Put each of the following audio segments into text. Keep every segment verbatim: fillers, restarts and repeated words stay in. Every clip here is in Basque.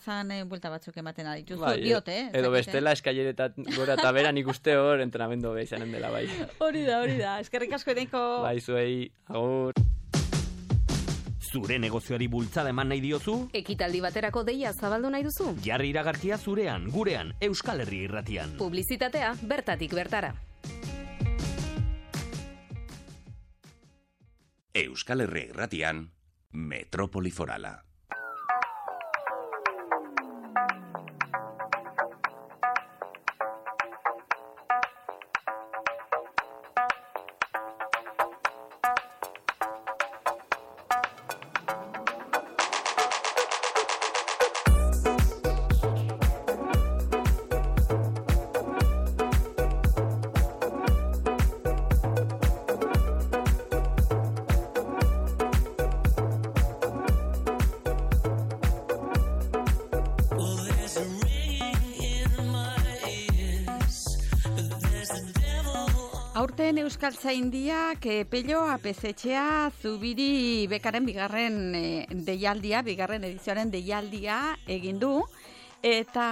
plazan e, buelta batzuk ematen ari. Justu, bai, diote, eh? Edo bestela eskaileretat gora eta bera nik uste hor entrenamendu beha izanen dela bai. Hori da, hori da. Eskerrik asko Eneiko. Bai, zuei, agur. Zure negozioari bultzada eman nahi diozu? Ekitaldi baterako deia zabaldu nahi duzu? Jarri iragarkia zurean, gurean, Euskal Herria Irratian. Publizitatea bertatik bertara. Euskal Herria Irratian, Metrópoli Forala. Aurten Euskaltzaindiak e, Pello Apezetxea Zubiri bekaren bigarren e, deialdia, bigarren edizioaren deialdia egin du, eta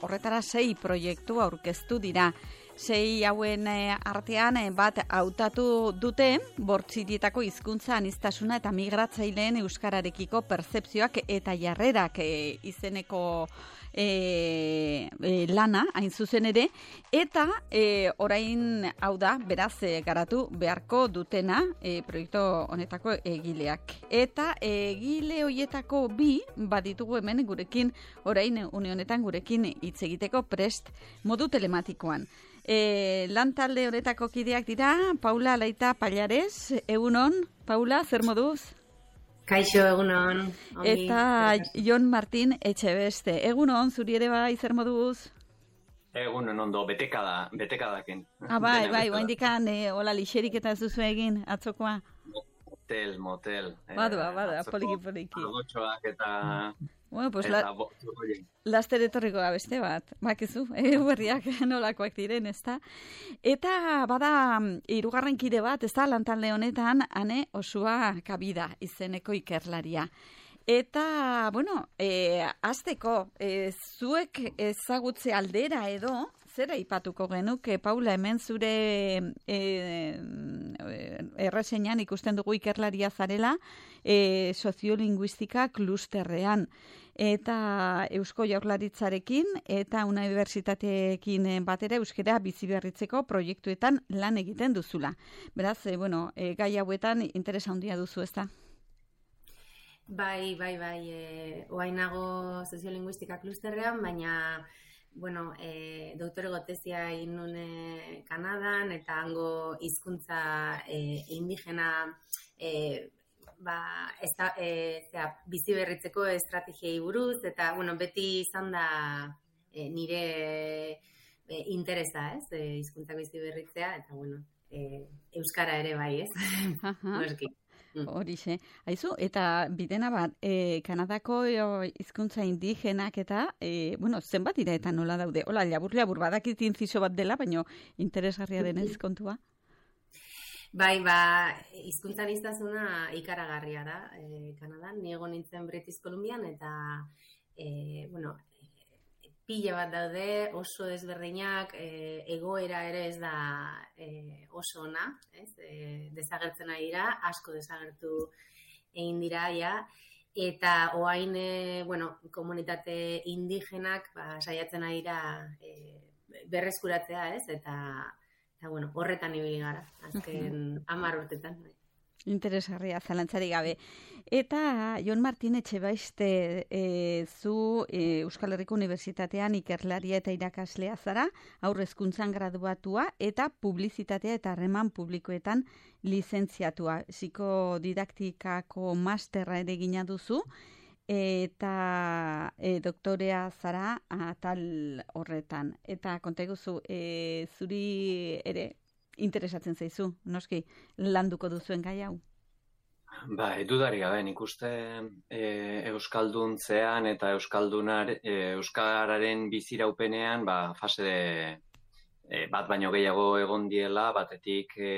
horretara sei proiektu aurkeztu dira. Sei hauen e, artean e, bat hautatu dute bortzitietako hizkuntza aniztasuna eta migratzaileen euskararekiko pertzepzioak eta jarrerak e, izeneko E, e, lana, hain zuzen ere, eta e, orain hau da, beraz, e, garatu beharko dutena e, proiektu honetako egileak. Eta egile hoietako bi baditugu hemen gurekin, orain une honetan gurekin hitz egiteko prest modu telematikoan. E, lan talde honetako kideak dira, Paula Laita Pallares, egunon, Paula, zer moduz? Kaixo, egunon. Ongi. Eta Jon Martin Etxebeste. Egunon, zuri ere bai, zer moduz? Egunon ondo, betekada, betekadaken. Ah, bai, bai, oa indikan, e, hola, lixerik eta zuzu egin, atzokoa. Motel, motel. Badua, badua, poliki, poliki. Algotxoak eta... Bueno, pues eta la, bo, laster etorriko da beste bat, bakizu, eh, berriak nolakoak diren, ezta? Eta bada hirugarren kide bat, ezta, lantalde honetan, Ane Osua Kabida izeneko ikerlaria. Eta, bueno, e, azteko, e, zuek ezagutze aldera edo, zer aipatuko genuke, Paula, hemen zure e, erreseñan ikusten dugu ikerlaria zarela, e, soziolinguistika klusterrean. Eta Eusko Jaurlaritzarekin eta unibertsitateekin batera euskara bizi berritzeko proiektuetan lan egiten duzula. Beraz, e, bueno, e, gai hauetan interesa handia duzu, ezta? Bai, bai, bai, e, oainago soziolinguistika klusterrean, baina, bueno, e, doktorego tesia egin nuen Kanadan, eta hango hizkuntza e, indigena e, ba, ez da, e, zera, bizi berritzeko estrategiei buruz, eta, bueno, beti izan da e, nire e, interesa, ez, e, hizkuntzak bizi berritzea, eta, bueno, e, euskara ere bai, ez, noski. Horixe. Aizu, eta bidena bat, e, Kanadako hizkuntza indigenak eta, e, bueno, zenbat dira eta nola daude? Hola, labur-labur badakit inziso bat dela, baina interesgarria denez kontua? Bai, ba, hizkuntza aniztasuna ikaragarria da, e, Kanadan. Ni egon nintzen British Columbian, eta, e, bueno, pila bat daude, oso desberdinak, e, egoera ere ez da e, oso ona, ez? E, desagertzen ari dira, asko desagertu egin dira, ja, eta oain, e, bueno, komunitate indigenak, ba, saiatzen ari dira e, berreskuratzea, ez? Eta, eta, bueno, horretan ibili gara, azken hamar urtetan. Interesgarria, zalantzari gabe. Eta Jon Martin Etxebeste, e, zu e, Euskal Herriko Unibertsitatean ikerlaria eta irakaslea zara, haurrezkuntzan graduatua eta publizitatea eta harreman publikoetan lizentziatua. Psikodidaktikako masterra ere gina duzu, eta e, doktorea zara atal horretan. Eta konta eguzu, e, zuri ere interesatzen zaizu, noski, landuko duzuen gai hau? Ba, edudari gabe, nik uste e, euskalduntzean eta euskaldunar, e, euskararen biziraupenean, ba, fase de, e, bat baino gehiago egon diela, batetik e,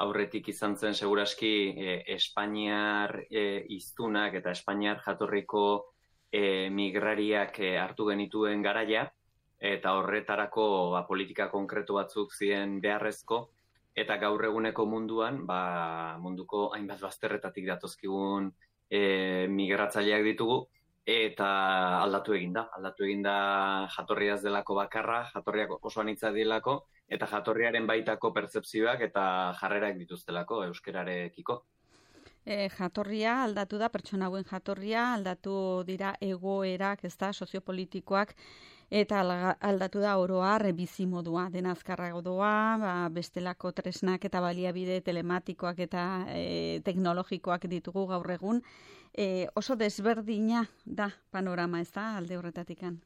aurretik izan zen seguraski e, Espainiar e, hiztunak eta Espainiar jatorriko e, migrariak e, hartu genituen garaia, eta horretarako ba, politika konkretu batzuk ziren beharrezko, eta gaur eguneko munduan, ba, munduko hainbat bazterretatik datozkigun e, migratzaileak ditugu, eta aldatu eginda. Aldatu eginda jatorriaz delako bakarra, jatorriak oso anitza dilako, eta jatorriaren baitako pertzepzioak eta jarrerak dituztelako euskararekiko. E, jatorria aldatu da, pertsona hauen jatorria, aldatu dira egoerak, ez da, soziopolitikoak, eta aldatu da oroar bizimodua, dena azkarrago doa, ba, bestelako tresnak eta baliabide telematikoak eta e, teknologikoak ditugu gaur egun, e, oso desberdina da panorama, ez da, alde horretatikan.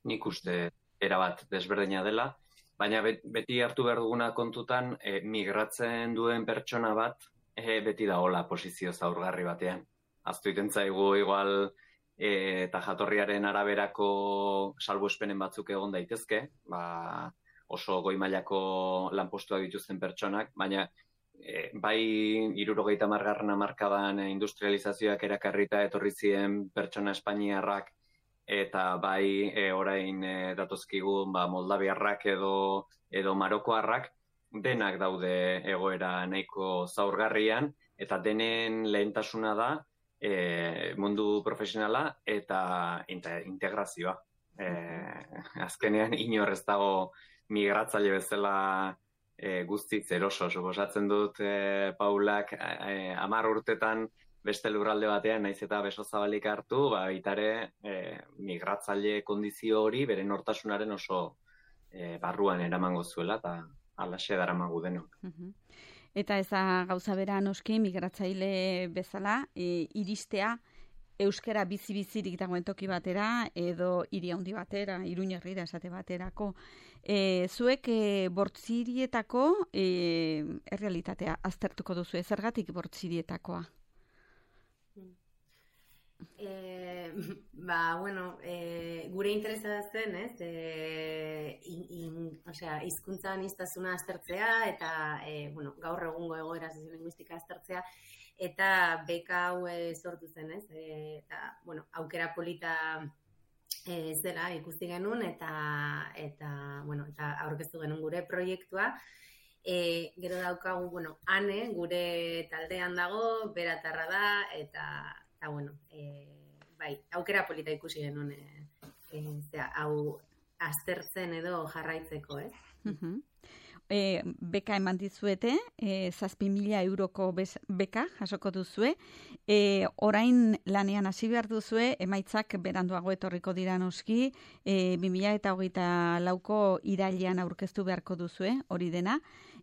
Nik uste erabat desberdina dela, baina beti hartu behar duguna kontutan, e, migratzen duen pertsona bat, e, beti da hola posizio zaurgarri batean. Aztu iten zaigu igual e, eta jatorriaren araberako salbuespenen batzuk egon daitezke, ba, oso goi mailako lanpostuak dituzten pertsonak, baina e, bai hirurogeita hamargarren hamarkadan industrializazioak erakarrita etorri ziren pertsona espainiarrak, eta bai e, orain e, datozkigun ba, moldaviarrak edo, edo marokoarrak, denak daude egoera nahiko zaurgarrian, eta denen lehentasuna da e, mundu profesionala eta integrazioa. E, azkenean inor ez dago migratzaile bezala e, guztiz eroso. Suposatzen dut e, Paulak e, hamar urtetan beste lurralde batean, naiz eta beso zabalik hartu, ba, itare e, migratzaile kondizio hori bere nortasunaren oso e, barruan eramango zuela, eta alaxe daramagu denok. Uh-huh. Eta ez da gauza bera noski migratzaile bezala, e, iristea euskara bizi-bizirik dagoen toki batera, edo hiri handi batera, Iruña herrira esate baterako. E, zuek e, bortzirietako e, errealitatea aztertuko duzu, zergatik bortzirietakoa? E, ba, bueno, e, gure interesa zen, ez? E, in, in, osea, hizkuntza aniztasuna aztertzea eta e, bueno, gaur egungo egoera soziolinguistika aztertzea eta beka hau e, sortu zen, ez? E, eta, bueno, aukera polita e, zela ikusti genuen eta eta, bueno, eta aurkeztu genuen gure proiektua. E, gero daukagu, bueno, Ane, gure taldean dago, beratarra da, eta eta, bueno, e, bai, aukera polita ikusi genuen, e, e, zera, hau aztertzen edo jarraitzeko, ez? Uh-huh. E, beka eman dizuete, e, zazpi mila euroko bez, beka jasoko duzue, e, orain lanean hasi behar duzue, emaitzak beranduago etorriko dira noski, e, bi mila eta hogeita lauko irailean aurkeztu beharko duzue, hori dena.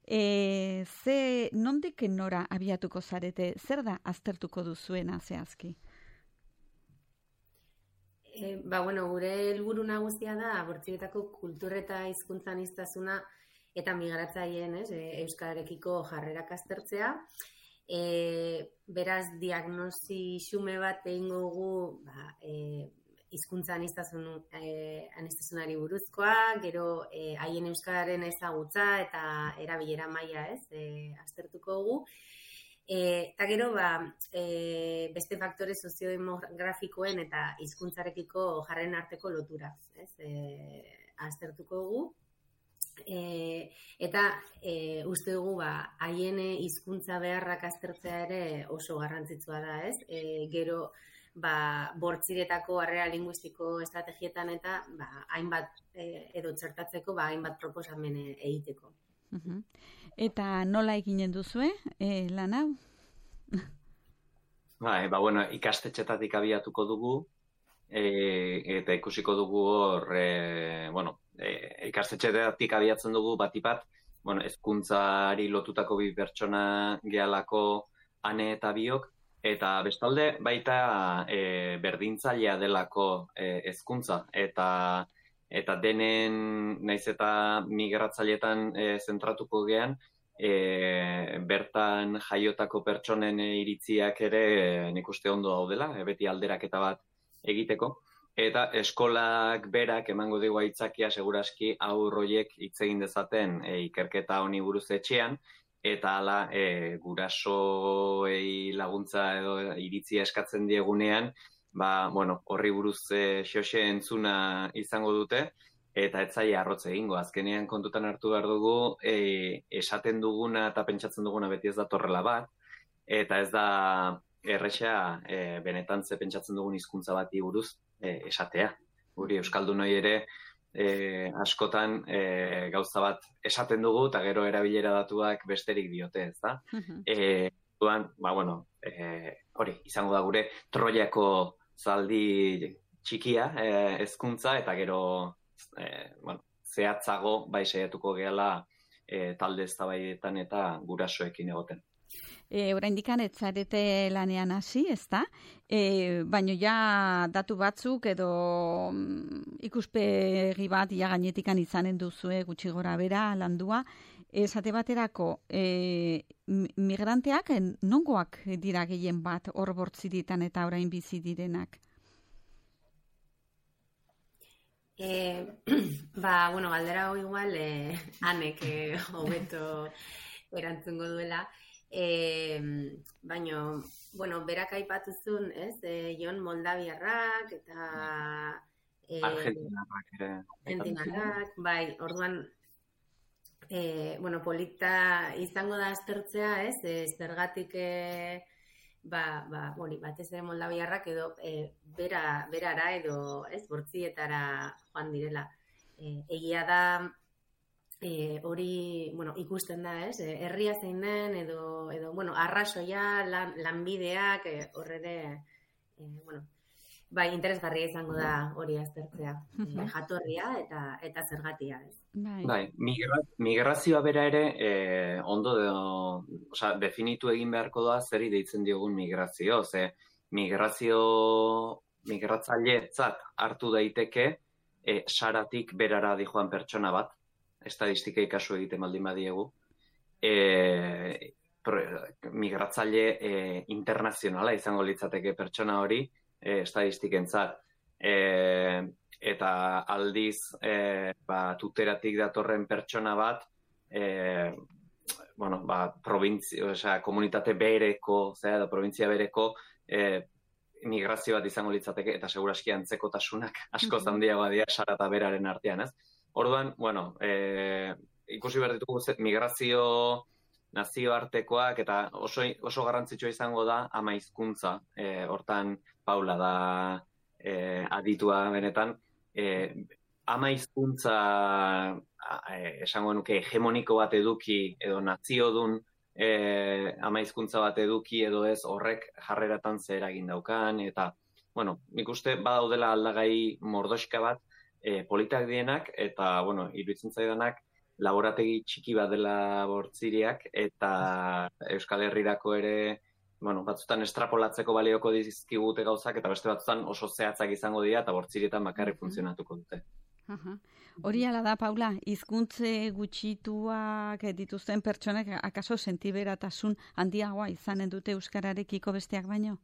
E, ze nondik nora abiatuko zarete, zer da aztertuko duzuena zehazki? E, ba, bueno, gure helburu nagusia da bortzirietako kultur eta hizkuntza aniztasuna eta migratzaileen, ez, e, euskararekiko jarrerak aztertzea. E, beraz, diagnosi xume bat egingo dugu, ba, e, hizkuntza aniztasun, eh, anistasunari buruzkoa, gero eh, haien euskararen ezagutza eta erabilera maila, ez, eh, aztertuko dugu. Eh, eta gero, ba, eh, beste faktore soziodemografikoen eta hizkuntzarekiko jarren arteko lotura, ez, eh, aztertuko dugu. E, eta e, uste dugu ba, haien hizkuntza beharrak aztertzea ere oso garrantzitsua da, ez? E, gero ba, bortziretako harrera linguistiko estrategietan eta ba, hainbat e, edo txertatzeko ba, hainbat proposamen egiteko. Uh-huh. Eta nola eginen duzue e, lan hau? Ba, ba, bueno, ikastetxetatik abiatuko dugu e, eta ikusiko dugu hor, e, bueno, E, ikastetxeetatik abiatzen dugu batipat, bueno, hezkuntzari lotutako bi pertsona gehalako Ane eta biok, eta bestalde baita e, berdintzailea delako hezkuntza e, eta eta denen naiz eta migratzailetan e, zentratuko gean, e, bertan jaiotako pertsonen e, iritziak ere e, nik uste ondo daudela, e, beti alderaketa bat egiteko. Eta eskolak berak emango digu aitzakia seguraski aur horiek hitz egin dezaten e, ikerketa honi buruz etxean, eta hala e, gurasoei laguntza edo iritzia eskatzen diegunean, ba, bueno, horri buruz e, xoxe entzuna izango dute, eta ez zaila arrotz egingo. Azkenean kontutan hartu behar dugu, e, esaten duguna eta pentsatzen duguna beti ez da torrela bat, eta ez da erresa e, benetan ze pentsatzen dugun hizkuntza bati buruz e, esatea. Guri euskaldunoi ere e, askotan e, gauza bat esaten dugu eta gero erabilera datuak besterik diote, ez da? Uh-huh. E, duan, ba, bueno, e, hori, izango da gure Troiako zaldi txikia e, hezkuntza eta gero e, bueno, zehatzago bai saiatuko gehala e, talde eztabaidetan eta gurasoekin egoten. E, oraindikan ez zarete lanean hasi, ezta? E, baino ja datu batzuk edo mm, ikuspegi bat ja gainetikan izanen duzue gutxi gora bera landua. Esate baterako e, migranteak nongoak dira gehien bat hor bortziritan eta orain bizi direnak? E, ba, bueno, galdera hau igual eh, anek hobeto erantzungo duela. E, baino, bueno, berak aipatuzun, ez, e, Jon Moldaviarrak eta e, Argentinarrak ere. Argentinarrak, bai, orduan e, bueno, polita izango da aztertzea, ez, e, zergatik e, ba, ba, hori, batez ere Moldaviarrak edo e, bera, berara edo, ez, bortzietara joan direla. E, egia da E, hori, bueno, ikusten da, ez? E, herria zein den, edo, edo bueno, arrazoia, lan, lanbideak, e, horrere, e, bueno, bai, interesgarria izango da hori aztertzea. E, jatorria eta eta zergatia, ez? Bai, bai migra, migrazioa bera ere, e, ondo, de, osea, definitu egin beharko da zeri deitzen diogun migrazio, ze migrazio, migratzailetzat hartu daiteke, e, saratik berara dijoan pertsona bat, estadistikei kasu egiten baldin badiegu, e, pro, migratzaile e, internazionala izango litzateke pertsona hori e, estadistikentzat. E, eta aldiz e, ba, tuteratik datorren pertsona bat, e, bueno, ba, provintzia, osea, komunitate bereko, zera, da provintzia bereko, e, migrazio bat izango litzateke, eta seguraski antzekotasunak asko handiagoa dira sara eta beraren artean, ez? Orduan, bueno, e, ikusi behar ditugu migrazio nazioartekoak eta oso, oso garrantzitsua izango da ama hizkuntza. E, hortan Paula da e, aditua benetan. E, ama hizkuntza e, esango nuke hegemoniko bat eduki edo naziodun e, ama hizkuntza bat eduki edo ez horrek jarreratan zer eragin daukan. Eta, bueno, nik uste badaudela aldagai mordoxka bat, E, politak dienak, eta, bueno, iruditzen zaidanak, laborategi txiki bat dela bortziriak, eta Euskal Herrirako ere, bueno, batzutan estrapolatzeko balioko dizkigute gauzak, eta beste batzutan oso zehatzak izango dira, eta bortzirietan bakarrik funtzionatuko dute. Aha. Hori ala da, Paula, hizkuntze gutxituak dituzten pertsonek, akaso sentiberatasun handiagoa izanen dute euskararekiko besteak baino?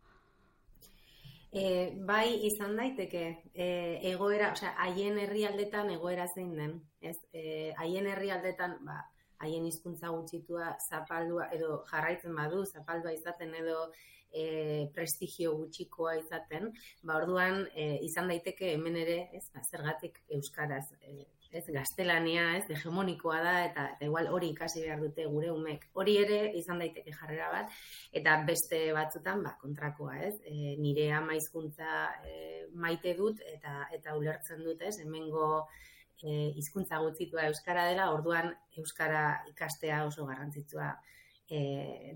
E, bai, izan daiteke, e, egoera, osea, haien herrialdetan egoera zein den, ez? E, haien herrialdetan, ba, haien hizkuntza gutxitua zapaldua, edo jarraitzen badu, zapaldua izaten edo e, prestigio gutxikoa izaten, ba, orduan, e, izan daiteke hemen ere, ez, ba, zergatik euskaraz, e, ez, gaztelania, ez, hegemonikoa da, eta, eta igual hori ikasi behar dute gure umek. Hori ere izan daiteke jarrera bat, eta beste batzutan, ba, kontrakoa, ez, e, nire ama hizkuntza e, maite dut, eta eta ulertzen dut, ez, hemengo e, hizkuntza gutxitua euskara dela, orduan euskara ikastea oso garrantzitsua e,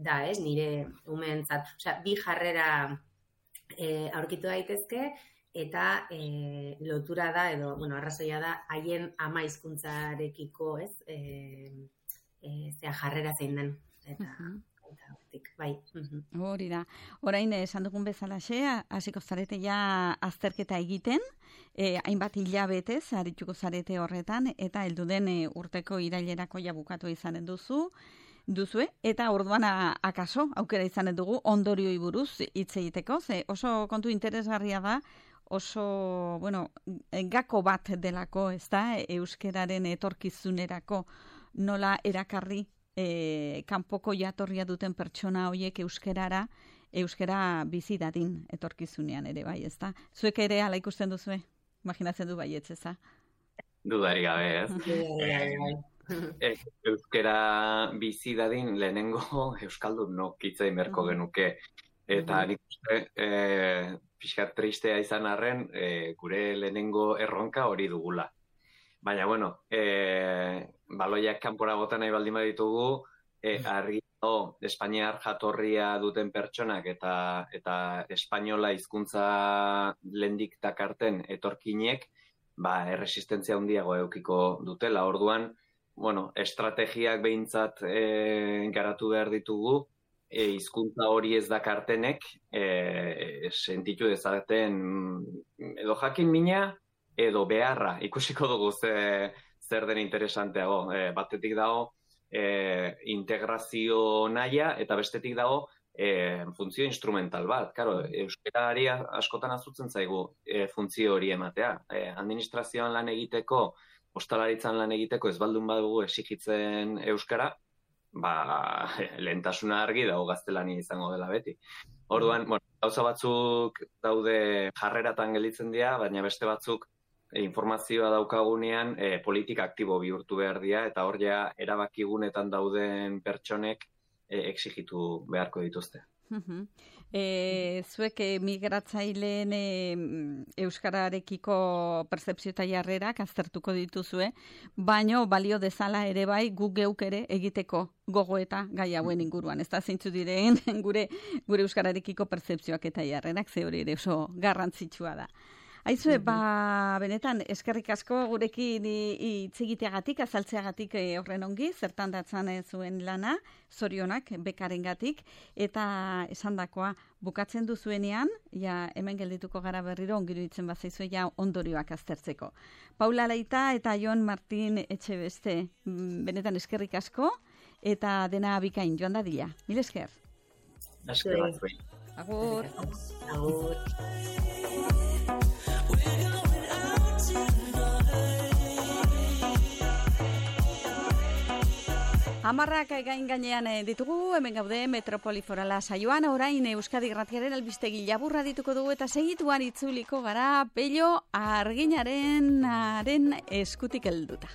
da, ez, nire umeentzat. Osea, bi jarrera e, aurkitu daitezke, eta e, lotura da, edo, bueno, arrazoia da, haien ama hizkuntzarekiko, ez, e, e, zea jarrera zein den, eta, uh-huh. eta hortik, bai. Uh-huh. Hori da. Orain, esan dugun bezalaxe, hasiko zarete ja azterketa egiten, e, hainbat hilabetez, arituko zarete horretan, eta heldu den e, urteko irailerako ja bukatu izanen duzu, duzue, eta orduan akaso, aukera izanen dugu, ondorioi buruz hitz egiteko, ze oso kontu interesgarria da, oso, bueno, gako bat delako, ez da, euskeraren etorkizunerako nola erakarri e, kanpoko jatorria duten pertsona horiek euskerara euskara bizi dadin etorkizunean ere bai, ezta? Zuek ere hala ikusten duzue? Imaginatzen du baietz, ezta? Dudari gabe, ez? E, euskara bizi dadin lehenengo euskaldun nok hitzein berko genuke. Eta nik uste, e, pixkat tristea izan arren, e, gure lehenengo erronka hori dugula. Baina, bueno, e, baloiak kanpora bota nahi baldin baditugu, e, argi dago, Espainiar jatorria duten pertsonak eta eta espainola hizkuntza lendik dakarten etorkinek, ba, erresistentzia handiago edukiko dutela. Orduan, bueno, estrategiak behintzat e, garatu behar ditugu, e, hizkuntza hori ez dakartenek e, sentitu dezaten edo jakin mina, edo beharra, ikusiko dugu ze, zer den interesanteago. E, batetik dago e, integrazio nahia, eta bestetik dago E, funtzio instrumental bat. Claro, euskarari askotan azutzen zaigu e, funtzio hori ematea. E, administrazioan lan egiteko, ostalaritzan lan egiteko ez baldun badugu exigitzen euskara, ba, lehentasuna argi dago gaztelania izango dela beti. Orduan, bueno, gauza batzuk daude jarreratan gelditzen dira, baina beste batzuk e, informazioa daukagunean e, politika aktibo bihurtu behar dira, eta hor ja erabakigunetan dauden pertsonek E, exigitu beharko dituzte. Uh-huh. E, zuek migratzaileen e, euskararekiko pertzepzio eta jarrerak aztertuko dituzue, baino balio dezala ere bai guk geuk ere egiteko gogoeta gai hauen inguruan. Ez da zeintzu diren gure, gure euskararekiko pertzepzioak eta jarrerak, ze hori ere oso garrantzitsua da. Aizue, ba, benetan, eskerrik asko gurekin hitz egiteagatik, azaltzeagatik horren ongi, zertan datzan zuen lana, zorionak, bekarengatik, eta esandakoa bukatzen duzuenean, ja, hemen geldituko gara berriro, ongiru ditzen bazaizue, ja, ondorioak aztertzeko. Paula Laita eta Jon Martin Etxebeste, benetan eskerrik asko, eta dena bikain, joan dadila. Mil esker. Esker batzuen. Agur. Agur. Amarrak gain gainean ditugu, hemen gaude Metropoli Forala saioan, orain Euskadi Irratiaren albistegi laburra dituko dugu eta segituan itzuliko gara Pello Arginaren haren eskutik helduta.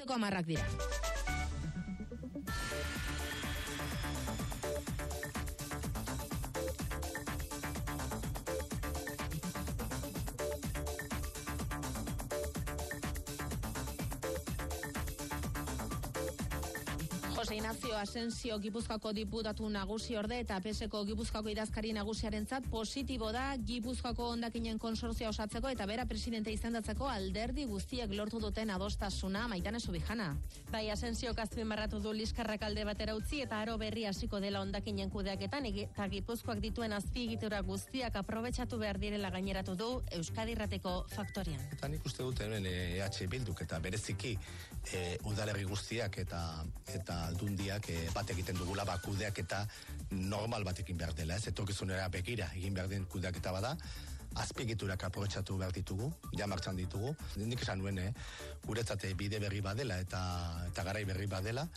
Goizeko hamarrak dira. Jose Ignacio Asensio Gipuzkoako diputatu nagusi orde eta P S ko Gipuzkoako idazkari nagusiarentzat positibo da Gipuzkoako hondakinen konsortzioa osatzeko eta bera presidente izendatzeko alderdi guztiek lortu duten adostasuna. Maitane Subijana. Bai, Asensio azpimarratu du liskarrak alde batera utzi eta aro berri hasiko dela hondakinen kudeaketan eta Gipuzkoak dituen azpiegitura guztiak aprobetxatu behar direla gaineratu du Euskadi Irrateko faktorian. Eta nik uste dut hemen E H Bilduk eta bereziki e, udalerri guztiak eta eta aldundiak e, bat egiten dugula ba kudeak eta normal batekin behar dela, ez etorkizunera begira egin behar den kudeak eta bada azpiegiturak aprobetxatu behar ditugu, ja martxan ditugu. Nik esan nuen, eh, guretzat bide berri badela eta eta garai berri badela.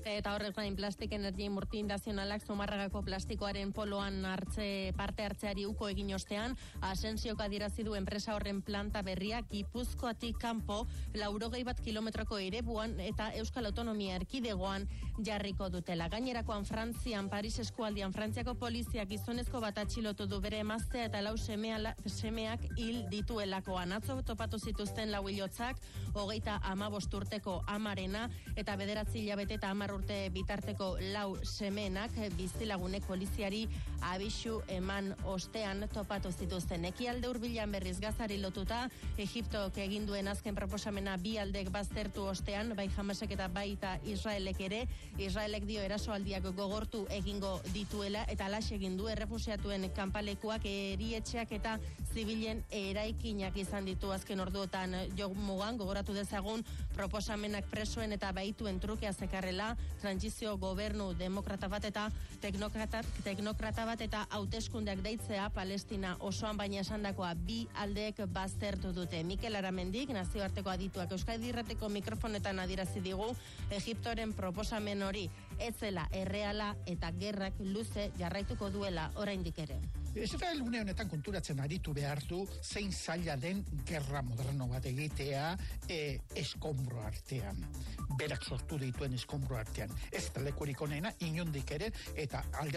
Eta horrek gain Plastik Energy Multinazionalak Zumarragako plastikoaren poloan hartze parte hartzeari uko egin ostean, Asensiok adierazi du enpresa horren planta berria Gipuzkoatik kanpo laurogei bat kilometroko erebuan eta Euskal Autonomia Erkidegoan jarriko dutela. Gainerakoan Frantzian, Paris eskualdian Frantziako poliziak gizonezko bat atxilotu du bere emaztea eta lau semea, semeak hil dituelakoan. Atzo topatu zituzten lau hilotzak, hogeita hamabost urteko amarena eta bederatzi hilabete eta hamar urte bitarteko lau semenak bizilagunek poliziari abisu eman ostean topatu zituzten. Ekialde hurbilan berriz Gazari lotuta, Egiptok egin duen azken proposamena bi aldek baztertu ostean, bai Hamasek eta baita Israelek ere, Israelek dio erasoaldiak gogortu egingo dituela, eta alaxe egin du errefusiatuen kanpalekuak, erietxeak eta zibilen eraikinak izan ditu azken orduotan jomugan. Gogoratu dezagun proposamenak presoen eta baituen trukea zekarrela, trantsizio gobernu demokrata bat eta teknokrata, teknokrata bat eta hauteskundeak deitzea Palestina osoan, baina esandakoa bi aldeek baztertu dute. Mikel Aramendik, nazioarteko adituak Euskadi Irrateko mikrofonetan adierazi digu, Egiptoren proposamen hori ez zela erreala eta gerrak luze jarraituko duela oraindik ere. Israel une honetan konturatzen aritu behar du zein zaila den gerra moderno bat egitea e, eskombro artean. Berak sortu dituen eskombro artean. Ez da lekurik onena, inondik ere, eta alde